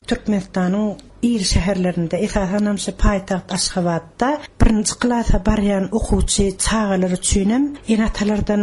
Türkmenistanyň iri şäherlerinde, esasanam şu paýtagt Aşgabatda birinji klasa barýan okuwçy çagalar üçinem ene-atalardan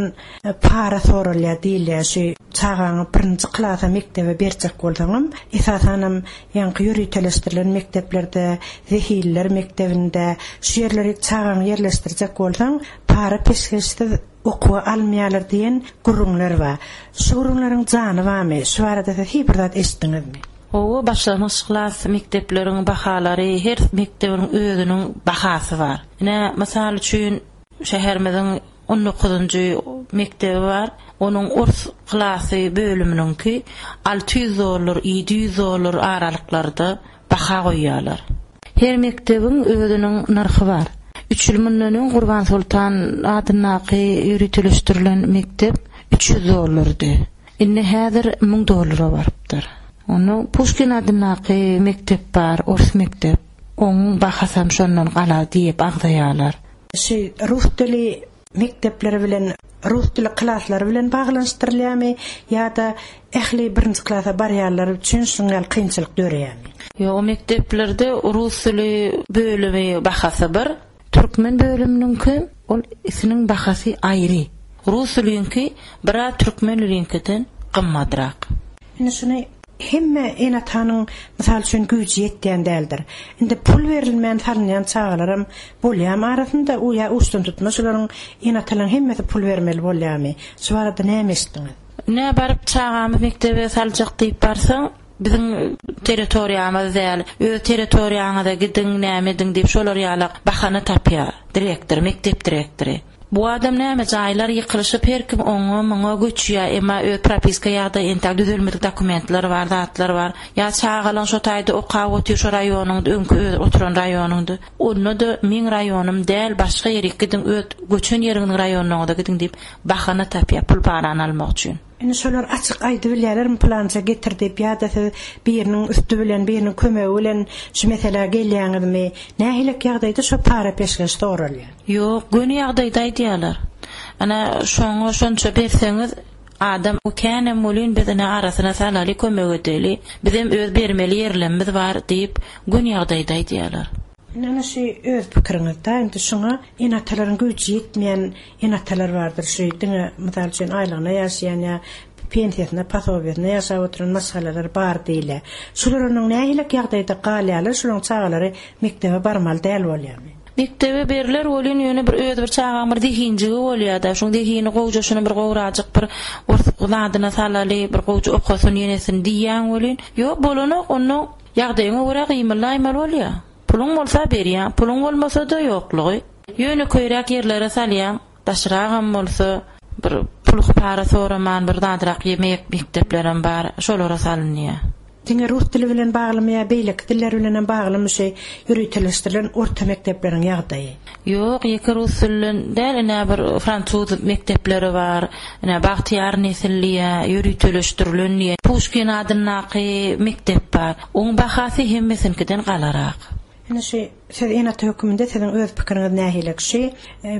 para soralýar diýilýär. Şu çagaňy birinji klasa mekdebe berjek bolsaňam, esasanam ýaňky ýöriteleşdirilen mekdeplerde, zehinliler mekdebinde, şu ýerlere çagaňy ýerleşdirjek bolsaň, para-peşgeşsiz okuwa almaýarlar diýen gürrüňler bar. Şu gürrüňleriň jany barmy? Şu barada siz hiç bir zat eşitdiňizmi? Hawa, başlangyç klas mekdepleriň bahalary her mekdebiň özüniň bahasy bar. Ine, mysal üçin, şäherimiziň on dokuzynjy mekdebi bar. Onuň ors klasy bölüminiňki 600 dollar, 700 dollar aralyklarda baha goýýarlar. Her mekdebiň özüniň nyrhy bar. Üç ýyl mundan öň Gurbansoltan adyndaky ýöriteleşdirilen mekdep 300 dollardy. Indi häzir 1000 dollara barypdyr. Onda Puşkin adyndaky mekdep bar, ors mekdep. Oň bahasam şondan galar diýip agzaýarlar. Şu rus dili mekdepleri bilen, rus dili klaslary bilen baglanyşdyrylýarmy ýa-da ähli birinji klasa barýanlar üçin şunuň ýaly kynçylyk döreýärmi? Ýok, mekdeplerde rus dili bölümi bahasy bir. Türkmen bölüminiňki ol isiniň bahasy aýry. Rus diliňki biraz türkmen diliňkiden gymmadrak. Indi şuny Hemme ene-atanyň, mysal üçin, güýji ýetýän däldir. Indi pul berilmän salynýan çagalaram bolýamy arasynda, u ýa uçdantutma şularyň ene-atalaryň hemmesi pul bermeli bolýamy? Şu barada näme eşitdiňiz? Ine, baryp çagamy mekdebe saljak diýip barsaň, biziň territoriýamyz däl, öz territoriýaňyza gidiň, näme ediň diýip şolar ýalak bahana tapýar direktor, mekdep direktory. Bu adam näme jaýlar ýykylyşyp her kim oňa muňa göçýä emma öz propiska ýagdaýy entäk düzelmedik dokumentler bar zatlar bar ýa çagalaň şo taýda okap otyr şo raýonyňda öňki öz oturan raýonyňda onda-da meň raýonym däl başga ýerik gidiň öz göçen ýeriňiziň raýonyňyza gidiň diýip bahana tapýa pul parany almak üçin. Indi şolar açyk aýdybilýärlermi pylança getir diýip ýa-da siz biriniň üsti bilen biriniň kömegi bilen şu meselä gelýäňizmi? Nähilek ýagdaýda şo para-peşgeş soralýar? Ýok, göni ýagdaýda aýdýarlar. Ine, şoňa şonça berseňiz, adam känem welin biz ine arasyna salaly, kömek edeli, bizem öz bermeli ýerlemmiz bar diýip, göni ýagdaýda aýdýarlar. Indi ana şu öz pikiriňiz-dä, indi şuňa ene-atalaryň güýji ýetmeýän ene-atalar bardyr, şu diňe mysal üçin aýlygyna ýaşaýan ýa pensiýasyna, posobiýasyna ýaşap oturan maşgalalar bar diýilýär. Şular onuň nähilek ýagdaýda galýarlar, şularyň çagalary mekdebe barmaly däl bolýarmy? Mekdebe berler welin ýöne bir öz bir çagaň bir zehinjigi bolýada, şuň zehini gowja şuny bir gowrajyk bir ors zadyna salaly, bir gowja okasyn ýenesin diýýäň welin, ýok bolanok, onda Ýagdaýyňa görä gymyldaýmaly bolýa. Puluň bolsa berýäň, puluň bolmasa-da ýoklugy. Ýönekeýräk ýerlere salýaň, daşragam bolsa bir pul-para soraman bir zadrak ýemek mekdeplerem bar, şolara salynýa. Diňe rus dili bilen baglymy ýa beýleki diller bilenem baglymy şu ýöriteleşdirilen orta mekdepleriň ýagdaýy? Ýok, ýeke rus dilinden däl, ine bir fransuz mekdepleri bar, ine Bagtyýar nesil diýýä, ýöriteleşdirilen diýýä, Puşkin adyndaky mekdep bar. Oň bahasy hemmesiniňkiden galarak. Ine şu siz ene-ata höküminde siziň öz pikiriňiz nähili? Şu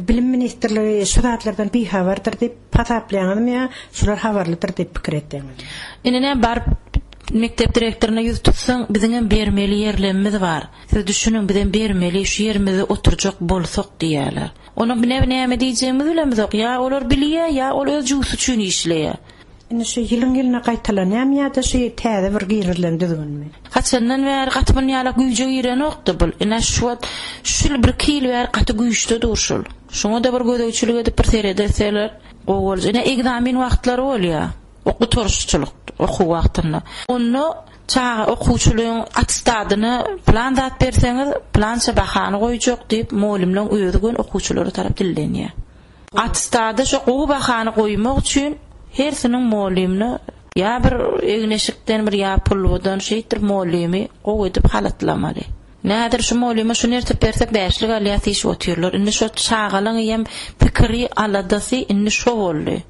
Bilim ministrligi şu zatlardan bihabardyr diýip hasaplaýaňyzmy ýa şular habarlydyr diýip pikir etýäňizmi? Ine näme baryp mekdep direktoryna ýüz tutsaň, biziňem bermeli ýerlemimiz bar. Siz düşüniň, bizem bermeli, şu ýerimizde oturjak bolsak diýýärler. Onuň bine näme diýjegimizi bilemizok. Ýa olar bilýär, ýa ol öz jübüsi üçin işleýär. Indi şu ýylyň-ýylyna gaýtalanýarmy ýa-da şu täze bir girizilen düzgünmi? Haçandan bäri gaty muny ýalak güýje girenokdy bul. Ine şu wagt şu ýyl birki ýyl bäri gaty güýçde dur şul. Şuňa-da bir gözegçilik edip bir seredilseler gowy boljak. Ine egzamin wagtlary bolýar. Gutaryşçylyk okuw wagtynda. Onda çaga okuwçylaryň attestadyna pylan zat berseňiz, pylança bahany goýjak diýip, mugallymlaryň özi göni okuwçylara tarap dillenýär. Attestada şo gowy bahany goýmak üçin hersiniň mugallymyna ýa bir egin-eşikden bir ýa pulbudan şeýtdirip mugallymy gowy edip halatlamaly. Nädir şu mugallyma şuny ertip bersek bäşlik alýas diýşip otyrlar. Indi şo çagalaň hem pikiri, aladasy indi şo boldy.